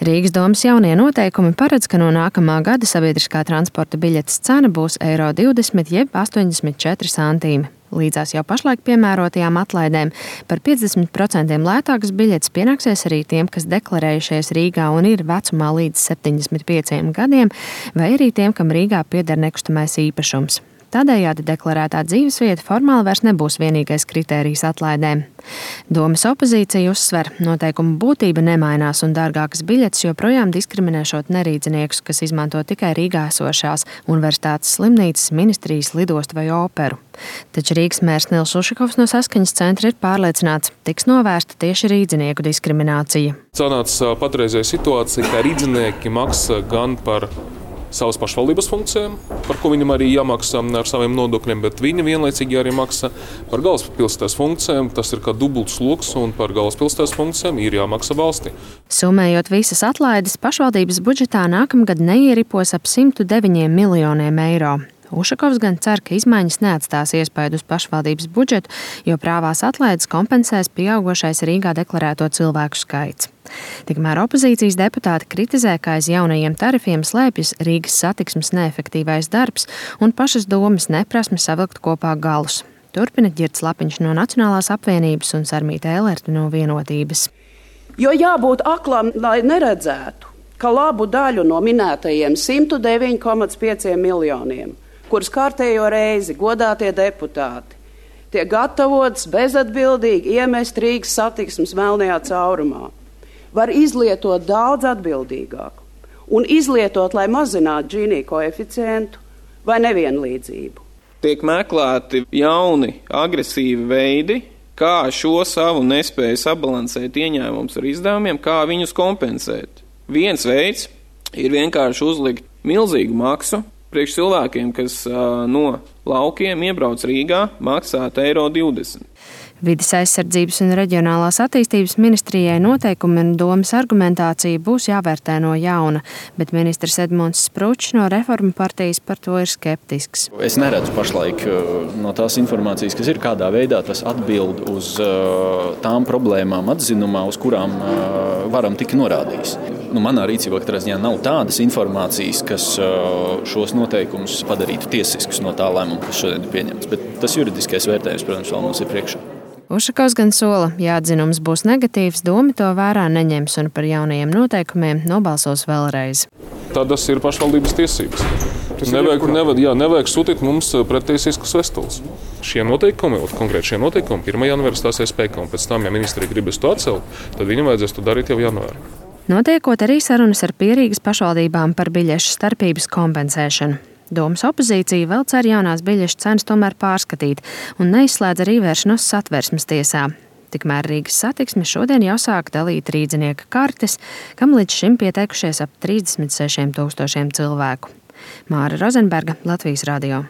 Rīgas domas jaunie noteikumi paredz, ka no nākamā gada sabiedriskā transporta biļetes cena būs €20 jeb 84 centīmi. Līdzās jau pašlaik piemērotajām atlaidēm par 50% lētākas biļetes pienāksies arī tiem, kas deklarējušies Rīgā un ir vecumā līdz 75 gadiem, vai arī tiem, kam Rīgā pieder nekustamais īpašums. Tādējādi deklarētā dzīvesvieta formāli vairs nebūs vienīgais kritērijs atlaidēm. Domas opozīcija uzsver, noteikumu būtība nemainās un dārgākas biļetes joprojām diskriminēšot nerīdziniekus, kas izmanto tikai Rīgā esošās universitātes slimnīcas, ministrijas, lidostu vai operu. Taču Rīgas mērs Nils Ušakovs no Saskaņas centra ir pārliecināts, tiks novērsta tieši rīdzinieku diskriminācija. Sanāca patreizējā situācija, ka rīdzinieki maksā gan par savas pašvaldības funkcijām, par ko viņam arī jāmaksā ar saviem nodokļiem, bet viņi vienlaicīgi arī maksā par galvaspilsētas funkcijām. Tas ir kā dubults sloks, un par galvaspilsētas funkcijām ir jāmaksā valstī. Summējot visas atlaides, pašvaldības budžetā nākamgad neieripos ap 109 miljoniem eiro. Ušakovs gan cer, ka izmaiņas neatstās iespaidu uz pašvaldības budžetu, jo prāvās atlaides kompensēs pieaugošais Rīgā deklarēto cilvēku skaits. Tikmēr opozīcijas deputāti kritizē, ka aiz jaunajiem tarifiem slēpjas Rīgas satiksmes neefektīvais darbs un pašas domas neprasme savilkt kopā galus. Turpina Ģirds Lapiņš no Nacionālās apvienības un Sarmīte Elerta no Vienotības. Jo jābūt aklam, lai neredzētu, ka labu daļu no minētajiem 109,5 miljoniem, kurus kārtējo reizi godātie deputāti tiek gatavots bezatbildīgi iemest Rīgas satiksmes melnajā caurumā, var izlietot daudz atbildīgāk un izlietot, lai mazinātu Džīnī koeficientu vai nevienlīdzību. Tiek meklēti jauni, agresīvi veidi, kā šo savu nespēju sabalansēt ieņēmumus ar izdevumiem, kā viņus kompensēt. Viens veids ir vienkārši uzlikt milzīgu maksu priekš cilvēkiem, kas no laukiem iebrauc Rīgā, maksāt €20. Vides aizsardzības un reģionālās attīstības ministrijai noteikumi un domas argumentācija būs jāvērtē no jauna, bet ministrs Edmunds Spručs no Reformu partijas par to ir skeptisks. Es neredzu pašlaik no tās informācijas, kas ir, kādā veidā tas atbild uz tām problēmām atzinumā, uz kurām varam tik norādījis. Manā rīcībā katrā ziņā nav tādas informācijas, kas šos noteikumus padarītu tiesiskus no tā lēmuma, kas šodien ir pieņemts, bet tas juridiskais vērtējums, protams, vēl mums ir priekšā. Ušakovs gan sola, ja atzinums būs negatīvs, doma to vērā neņems un par jaunajiem noteikumiem nobalsos vēlreiz. Tas ir pašvaldības tiesības. Nevajag sūtīt mums prettiesiskas vestules. Šie noteikumi, konkrēti šie noteikumi, 1. janvāra stāsies spēkā, un pēc tam, ja ministrija gribas to atcelt, tad viņam vajadzēs to darīt jau janvārī. Notiekot arī sarunas ar Pierīgas pašvaldībām par biļešu starpības kompensēšanu. Domas opozīcija vēl cer jaunās biļešu cenas tomēr pārskatīt un neizslēdz arī vēršanos Satversmes tiesā. Tikmēr Rīgas satiksme šodien jau sāk dalīt rīdzinieka kartes, kam līdz šim pieteikušies ap 36 000 cilvēku. Māra Rozenberga, Latvijas radio.